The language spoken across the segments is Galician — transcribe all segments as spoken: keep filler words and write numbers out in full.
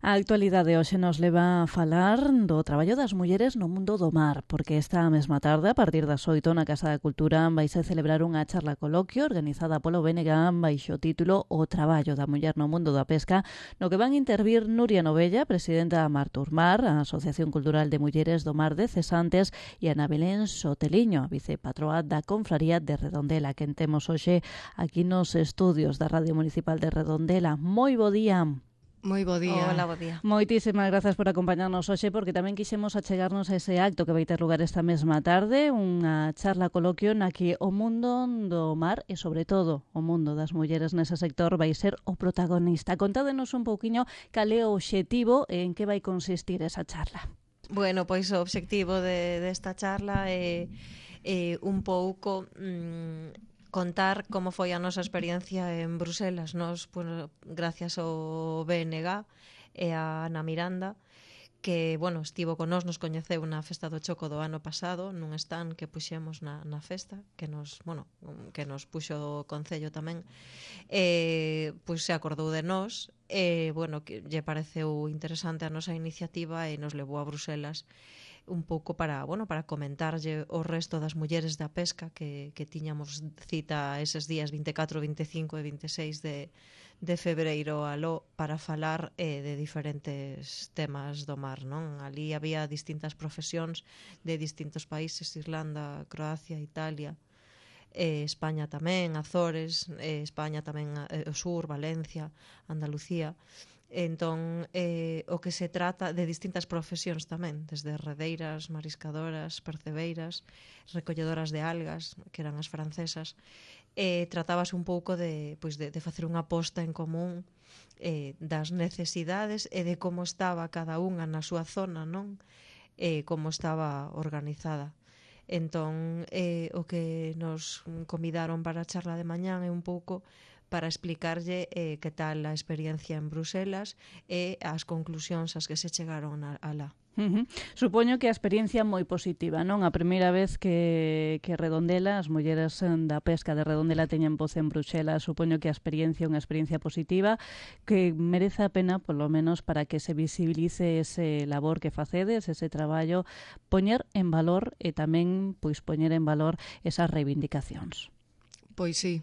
A actualidade hoxe nos leva a falar do traballo das mulleres no mundo do mar, porque esta mesma tarde, a partir das oito, na Casa da Cultura, vaise celebrar unha charla coloquio organizada polo B N G baixo o título O traballo da muller no mundo da pesca, no que van intervir Nuria Novella, presidenta da Marturmar, a Asociación Cultural de Mulleres do Mar de Cesantes, e Ana Belén Soteliño, a vicepatroa da Confraría de Redondela, que temos hoxe aquí nos estudios da Radio Municipal de Redondela. Moi bo día. Moi bo día. Hola, bo día. Moitísimas grazas por acompañarnos hoxe, porque tamén quixemos achegarnos a ese acto que vai ter lugar esta mesma tarde, unha charla coloquio na que o mundo do mar e, sobre todo, o mundo das mulleres nese sector vai ser o protagonista. Contádenos un pouquiño cal é o obxectivo e en que vai consistir esa charla. Bueno, pois o obxectivo de, desta charla é, é un pouco... Mmm, contar como foi a nosa experiencia en Bruselas. Nos, pues, gracias ao B N G e a Ana Miranda, que, bueno, estivo con nós, nos coñeceu na Festa do Choco do ano pasado, nun stand que puxemos na, na festa, que nos, bueno, que nos puxo o Concello tamén, e, pois, se acordou de nós, e, bueno, que lle pareceu interesante a nosa iniciativa e nos levou a Bruselas un pouco para, bueno, para comentarlle o resto das mulleres da pesca que, que tiñamos cita eses días vinte e catro, vinte e cinco e vinte e seis de, de febreiro aló para falar eh, de diferentes temas do mar, non? Ali había distintas profesións de distintos países, Irlanda, Croacia, Italia, eh, España tamén, Azores, eh, España tamén, eh, o sur, Valencia, Andalucía. Entón, eh, o que se trata de distintas profesións tamén, desde redeiras, mariscadoras, percebeiras, recolledoras de algas, que eran as francesas, eh, tratábase un pouco de, pois de, de facer unha posta en común eh, das necesidades e de como estaba cada unha na súa zona, non? Eh, como estaba organizada. Entón, eh, o que nos convidaron para a charla de mañán é un pouco para explicarlle eh, que tal a experiencia en Bruselas e as conclusións ás que se chegaron a, a lá. Uh-huh. Supoño que a experiencia é moi positiva, non? A primeira vez que, que Redondela, as mulleres da pesca de Redondela teñen voz en Bruxelas, supoño que a experiencia é unha experiencia positiva que merece a pena, polo menos, para que se visibilice ese labor que facedes, ese traballo, poñer en valor e tamén pois poñer en valor esas reivindicacións. Pois sí,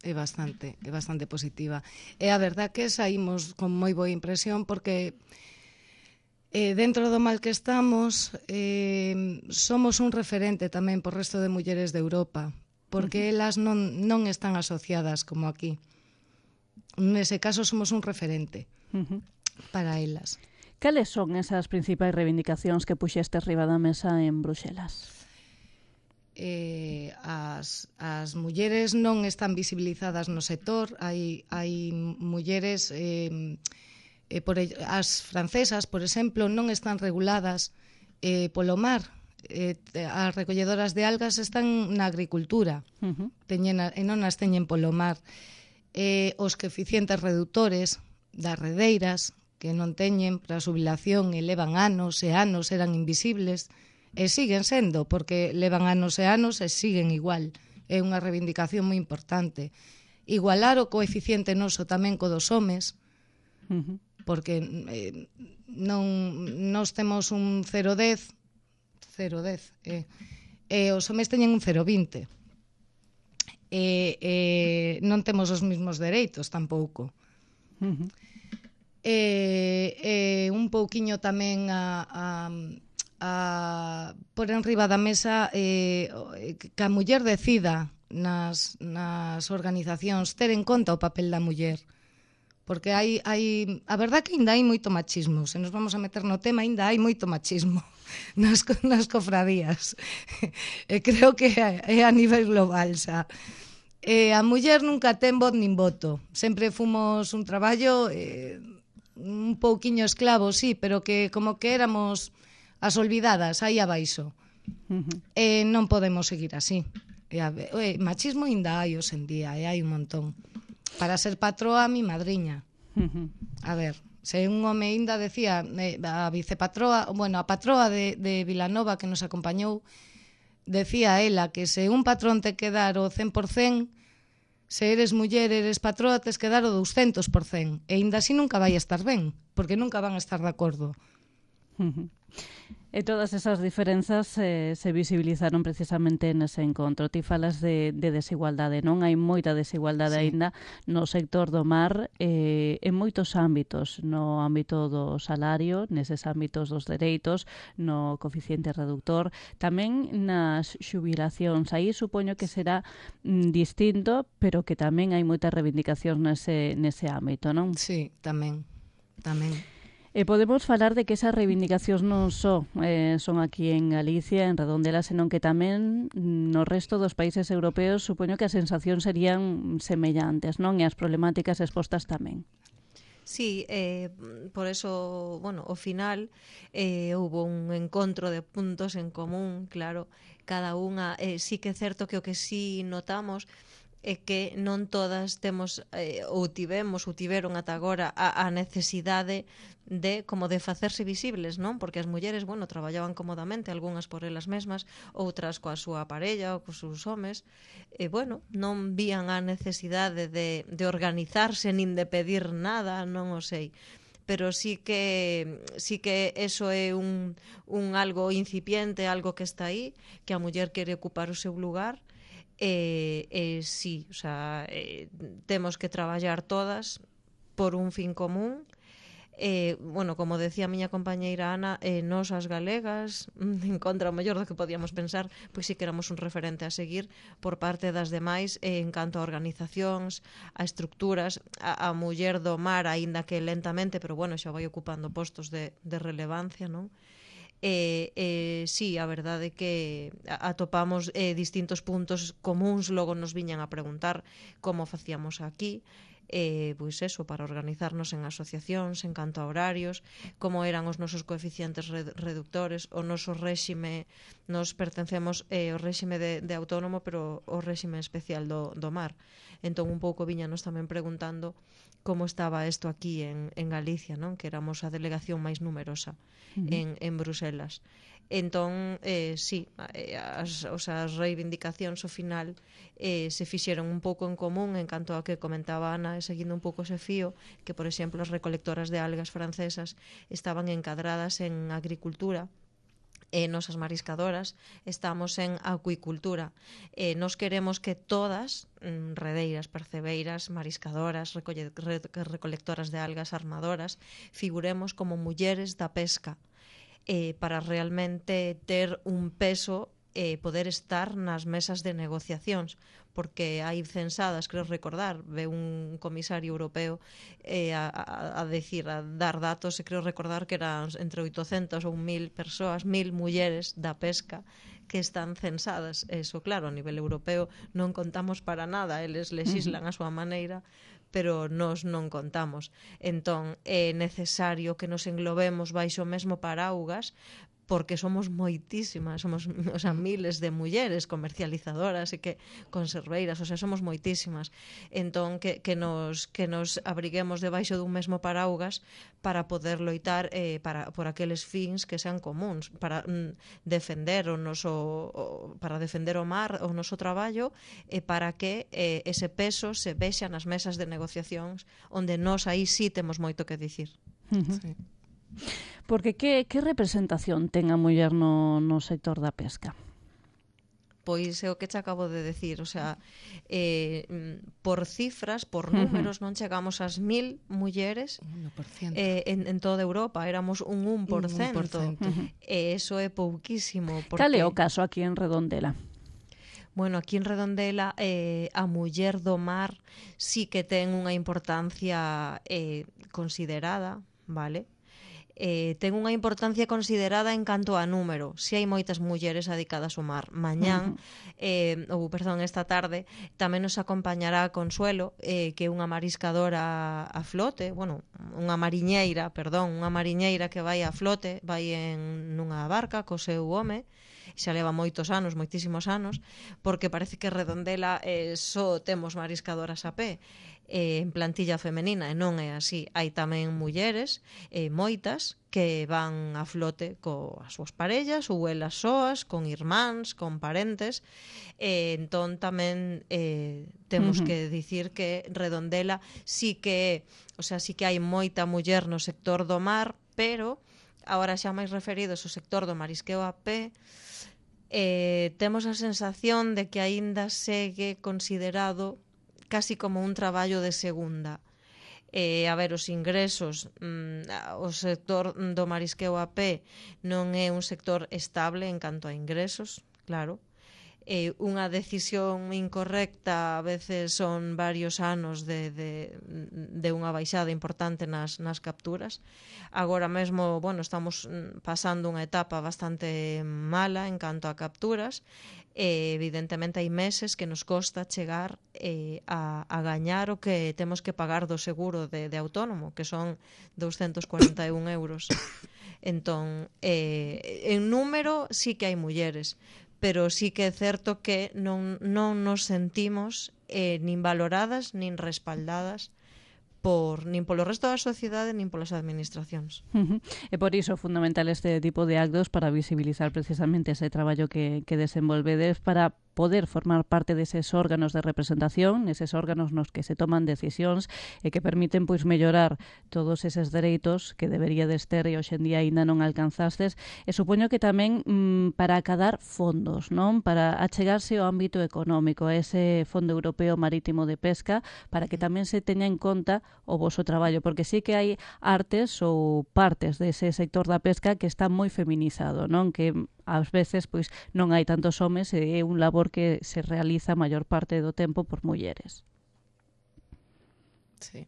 é bastante, é bastante positiva. E a verdad que saímos con moi boa impresión porque eh, dentro do mal que estamos eh, somos un referente tamén por resto de mulleres de Europa, porque uh-huh. elas non, non están asociadas como aquí. Nese caso somos un referente uh-huh. para elas. Cales son esas principais reivindicacións que puxestes riba da mesa en Bruxelas? Eh, as, as mulleres non están visibilizadas no sector, hai, hai mulleres eh, eh, por, as francesas, por exemplo, non están reguladas eh, polo mar, eh, as recolledoras de algas están na agricultura uh-huh. teñen, e non as teñen polo mar, eh, os coeficientes reductores das redeiras que non teñen para a xubilación e levan anos e anos, eran invisibles e siguen sendo, porque levan anos e anos e siguen igual. É unha reivindicación moi importante. Igualar o coeficiente noso tamén co dos homes, uh-huh. porque eh, non nos temos un cero coma dez, cero coma dez, eh, e os homes teñen un cero coma vinte. E, e non temos os mesmos dereitos tampouco. Uh-huh. E, e un pouquiño tamén a... a a por enriba da mesa eh, que a muller decida nas, nas organizacións ter en conta o papel da muller, porque hai, hai a verdad que ainda hai moito machismo, se nos vamos a meter no tema ainda hai moito machismo nas, nas cofradías e creo que é a nivel global xa. E a muller nunca ten voz nin voto, sempre fomos un traballo eh, un pouquiño esclavo, sí, pero que como que éramos as olvidadas, aí abaixo. Uh-huh. E non podemos seguir así. E a, e, machismo ainda hai hoxe en día, e hai un montón. Para ser patroa, mi madriña. Uh-huh. A ver, se un home ainda decía, eh, a vicepatroa, bueno, a patroa de, de Vilanova que nos acompañou, decía ela que se un patrón te quedar o cen por cen, Se eres muller, eres patroa, tes que dar o douscentos por cento. E ainda así nunca vai a estar ben, porque nunca van a estar de acordo. Uh-huh. E todas esas diferenzas eh, se visibilizaron precisamente nese encontro. Ti falas de, de desigualdade, non? Hai moita desigualdade sí. aínda no sector do mar eh, en moitos ámbitos, no ámbito do salario, neses ámbitos dos dereitos, no coeficiente reductor, tamén nas xubilacións. Aí supoño que será mm, distinto, pero que tamén hai moitas reivindicacións nese, nese ámbito, non? Sí, tamén, tamén. E podemos falar de que esas reivindicacións non só eh, son aquí en Galicia, en Redondela, senón que tamén no resto dos países europeos supoño que as sensacións serían semellantes, non? E as problemáticas expostas tamén. Sí, eh, por eso, bueno, ao final eh, hubo un encontro de puntos en común, claro, cada unha, eh, sí que é certo que o que sí notamos é que non todas temos eh, ou tivemos ou tiveron ata agora a, a necesidade de como de facerse visibles, non? Porque as mulleres, bueno, traballaban cómodamente, algunhas por elas mesmas, outras coa súa parella ou cos seus homes, e bueno, non vían a necesidade de, de organizarse nin de pedir nada, non o sei. Pero sí que sí que eso é un, un algo incipiente, algo que está aí, que a muller quere ocupar o seu lugar. E, e sí, o sea, eh, temos que traballar todas por un fin común. Eh, bueno, como decía a miña compañeira Ana, eh, nós as galegas, en contra o mellor do que podíamos pensar, pois sí que éramos un referente a seguir por parte das demais eh, en canto a organizacións, a estructuras, a, a muller do mar, aínda que lentamente, pero bueno, xa vai ocupando postos de, de relevancia, non? E, e sí, a verdade é que atopamos eh, distintos puntos comuns, logo nos viñan a preguntar como facíamos aquí, eh, pois eso, para organizarnos en asociacións, en canto a horarios, como eran os nosos coeficientes reductores, o noso réxime, nos pertencemos eh, ao réxime de, de autónomo, pero o réxime especial do, do mar. Entón un pouco viñanos tamén preguntando como estaba isto aquí en, en Galicia, non? Que éramos a delegación máis numerosa uh-huh. en, en Bruselas. Entón, eh, sí, as, os, as reivindicacións ao final eh, se fixeron un pouco en común en canto a que comentaba Ana, seguindo un pouco ese fío, que, por exemplo, as recolectoras de algas francesas estaban encadradas en agricultura, e nosas mariscadoras estamos en acuicultura. E nos queremos que todas, redeiras, percebeiras, mariscadoras, recolle, re, recolectoras de algas, armadoras, figuremos como mulleres da pesca, eh, para realmente ter un peso e eh, poder estar nas mesas de negociacións, porque hai censadas, creo recordar, ve un comisario europeo eh, a, a, a decir, a dar datos, e creo recordar que eran entre oitocentas ou mil persoas, mil mulleres da pesca que están censadas. Eso, claro, a nivel europeo non contamos para nada, eles lexislan a súa maneira, pero nós non contamos. Entón, é necesario que nos englobemos baixo o mesmo paraugas, porque somos moitísimas, somos, o sea, miles de mulleres comercializadoras e que conserveiras, o sea, somos moitísimas. Entón, que, que, nos, que nos abriguemos debaixo dun mesmo paraugas para poder loitar eh, para, por aqueles fins que sean comuns, para mm, defender o noso, o, para defender o mar, o noso traballo, e para que eh, ese peso se vexa nas mesas de negociacións, onde nós aí sí temos moito que dicir. Uh-huh. Sí. Porque que, que representación ten a muller no, no sector da pesca? Pois é o que te acabo de decir, o sea, eh, por cifras, por números, uh-huh. non chegamos ás mil mulleres eh, en, en toda Europa, éramos un un por cento, un un por cento. Uh-huh. E iso é pouquísimo. Porque... Cal é o caso aquí en Redondela? Bueno, aquí en Redondela eh, a muller do mar sí que ten unha importancia eh, considerada, vale? Eh, ten unha importancia considerada en canto a número. Si hai moitas mulleres dedicadas ao mar. Mañán, uh-huh. eh, ou perdón, esta tarde, tamén nos acompañará Consuelo, eh, que é unha mariscadora a flote, bueno, unha mariñeira, perdón, unha mariñeira que vai a flote, vai en nunha barca co seu home, xa leva moitos anos, moitísimos anos, porque parece que Redondela eh, só temos mariscadoras a pé, eh, en plantilla femenina, e non é así. Hai tamén mulleres, eh, moitas, que van a flote coas súas parellas ou elas soas, con irmáns, con parentes, e entón tamén eh, temos uh -huh. que dicir que Redondela sí que, o sea, sí que hai moita muller no sector do mar, pero agora xa máis referidos ao sector do marisqueo a pé, eh, temos a sensación de que aínda segue considerado casi como un traballo de segunda. Eh, a ver, os ingresos, mm, o sector do marisqueo a pé non é un sector estable en canto a ingresos, claro. Eh, unha decisión incorrecta a veces son varios anos de, de, de unha baixada importante nas, nas capturas. Agora mesmo, bueno, estamos pasando unha etapa bastante mala en canto a capturas. Eh, evidentemente hai meses que nos costa chegar eh, a, a gañar o que temos que pagar do seguro de, de autónomo, que son doscientos cuarenta e un euros. Entón, eh, en número sí que hai mulleres, pero sí que é certo que non, non nos sentimos eh, nin valoradas, nin respaldadas por nin polo resto da sociedade nin polas administracións. Uh -huh. E por iso é fundamental este tipo de actos para visibilizar precisamente ese traballo que, que desenvolvedes para poder formar parte deses órganos de representación, eses órganos nos que se toman decisións e que permiten pois mellorar todos eses dereitos que deberíades ter e hoxe en día aínda non alcanzastes, e supoño que tamén mmm, para acadar fondos, non? Para achegarse ao ámbito económico, ese Fondo Europeo Marítimo de Pesca, para que tamén se teña en conta o voso traballo, porque sí que hai artes ou partes dese sector da pesca que está moi feminizado, non? Que ás veces pois non hai tantos homes e é un labor que se realiza a maior parte do tempo por mulleres. Sí.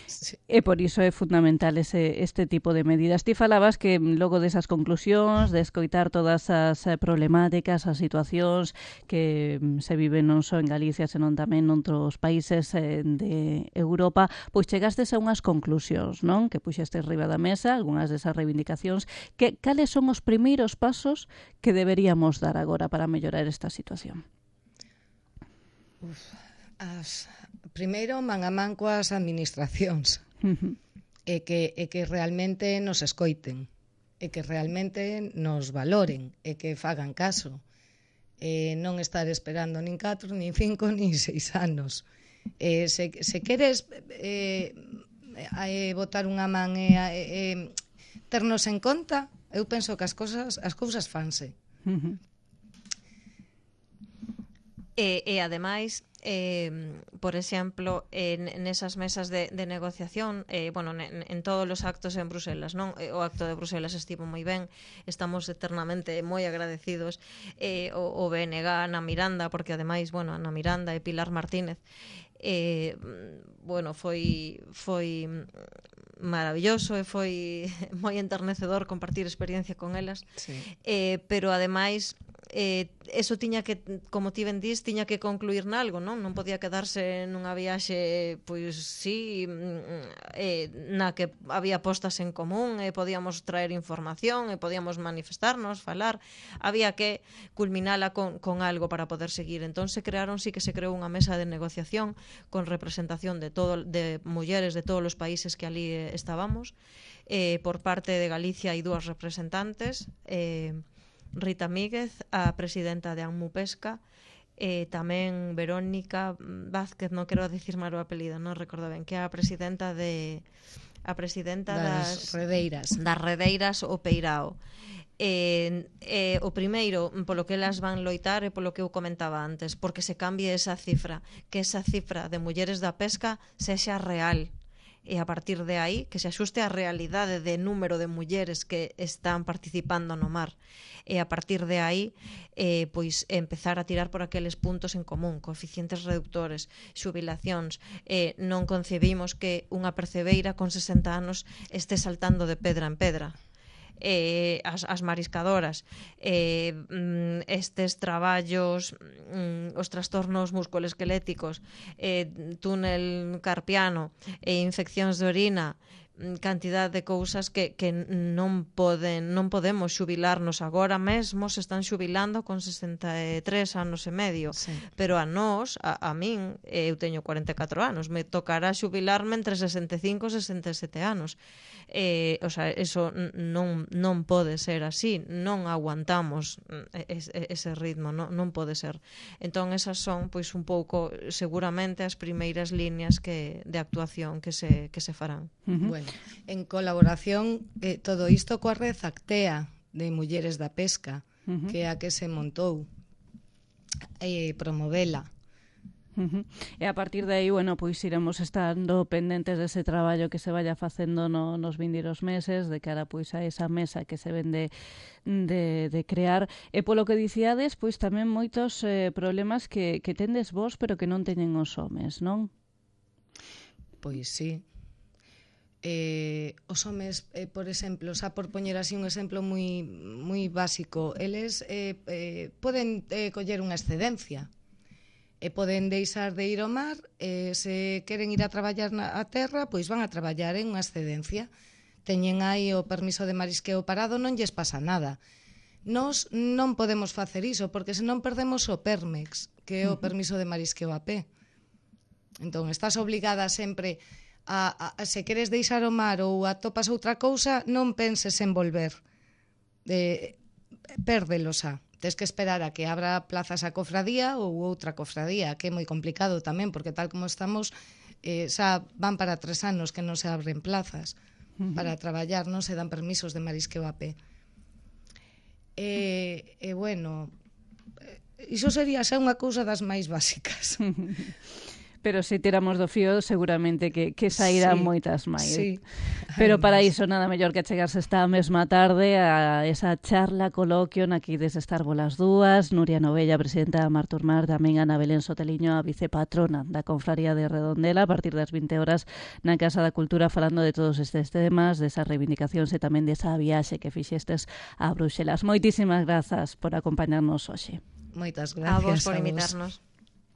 Sí. E por iso é fundamental ese, este tipo de medidas. Ti falabas que logo desas conclusións, de escoitar todas as problemáticas, as situacións que se viven non só en Galicia, senón tamén noutros países de Europa, pois chegastes a unhas conclusións, non? Que puxestes riba da mesa, algunhas desas reivindicacións. Que, cales son os primeiros pasos que deberíamos dar agora para mellorar esta situación? Uf, as... Primeiro, man a man coas administracións. Uh-huh. E que, e que realmente nos escoiten, e que realmente nos valoren, e que fagan caso. E non estar esperando nin catro, nin cinco, nin seis anos. E se, se queres eh, eh, botar unha man e eh, ternos en conta, eu penso que as cousas, as cousas fanse. Uh-huh. E, e ademais, eh, por exemplo, en, en esas mesas de, de negociación, eh, bueno, en, en todos os actos en Bruselas, non? O acto de Bruselas estivo moi ben, estamos eternamente moi agradecidos, eh, o, o B N G, Ana Miranda, porque ademais, bueno, Ana Miranda e Pilar Martínez, eh, bueno, foi foi maravilloso e foi moi enternecedor compartir experiencia con elas, sí. eh, pero ademais eh, eso tiña que, como ti ben dís, tiña que concluir nalgo, non? Non podía quedarse nunha viaxe, pois sí, eh, na que había postas en común e podíamos traer información e podíamos manifestarnos, falar, había que culminala con, con algo para poder seguir. Entón se crearon, sí que se creou unha mesa de negociación con representación de todo, de mulleres de todos os países que ali eh, estábamos, eh, por parte de Galicia hai dúas representantes, eh, Rita Míguez, a presidenta de Anmu Pesca, e tamén Verónica Vázquez, non quero dicir mal o apelido, non recordo ben, que é a presidenta de a presidenta das, das redeiras. Das redeiras o Peirao. E, e o primeiro, polo que elas van loitar e polo que eu comentaba antes, porque se cambie esa cifra, que esa cifra de mulleres da pesca sexa real, e a partir de aí que se axuste á realidade de número de mulleres que están participando no mar, e a partir de aí eh, pois empezar a tirar por aqueles puntos en común, coeficientes reductores, xubilacións. Eh, non concebimos que unha percebeira con sesenta anos este saltando de pedra en pedra. Eh, as, as mariscadoras, eh, estes traballos, os trastornos musculoesqueléticos, eh, túnel carpiano e infeccións de orina, cantidad de cousas que, que non poden non podemos xubilarnos agora mesmo, se están xubilando con sesenta e tres anos e medio, Sí. pero a nós, a, a min, eu teño cuarenta e catro anos, me tocará xubilarme entre sesenta e cinco e sesenta e sete anos. Eh, o sea, eso non, non pode ser así, non aguantamos ese, ese ritmo, non, non pode ser. Entón, esas son, pois, un pouco, seguramente, as primeiras líneas que, de actuación que se, que se farán. Uh-huh. Bueno, en colaboración, eh, todo isto coa Red Actea de Mulleres da Pesca, Uh-huh. que é a que se montou e eh, promovela. Uh-huh. E a partir de aí, bueno, pois iremos estando pendentes dese traballo que se vaya facendo no, nos vindeiros meses, de cara pois a esa mesa que se vende de, de crear. E polo que dicíades, pois tamén moitos eh, problemas que, que tendes vos, pero que non teñen os homes, non? Pois sí. Eh, os homes, eh, por exemplo, xa por poñer así un exemplo moi moi básico, eles eh, eh, poden eh, coller unha excedencia e poden deixar de ir ao mar, e se queren ir a traballar na a terra, pois van a traballar en unha excedencia. Teñen aí o permiso de marisqueo parado, non lles pasa nada. Nós non podemos facer iso, porque senón perdemos o Permex, que é o permiso de marisqueo a pé. Entón, estás obligada sempre a, a, a se queres deixar o mar ou atopas outra cousa, non penses en volver. Eh, pérdelo xa. Tes que esperar a que abra plazas a cofradía ou outra cofradía, que é moi complicado tamén, porque tal como estamos, eh, xa van para tres anos que non se abren plazas uh-huh. para traballar, non se dan permisos de marisqueo a pé. E, e bueno, iso sería xa unha cousa das máis básicas. Pero se tiramos do fío, seguramente que, que sairán sí, moitas máis. Sí. Pero para iso nada mellor que chegarse esta mesma tarde a esa charla, coloquio, na que ides estar volas dúas, Nuria Novella, presidenta da Marturmar, tamén Ana Belén Soteliño, a vicepatrona da Confraría de Redondela, a partir das vinte horas na Casa da Cultura, falando de todos estes temas, desas reivindicacións e tamén desa viaxe que fixestes a Bruxelas. Moitísimas grazas por acompañarnos hoxe. Moitas gracias a vos por a vos. invitarnos.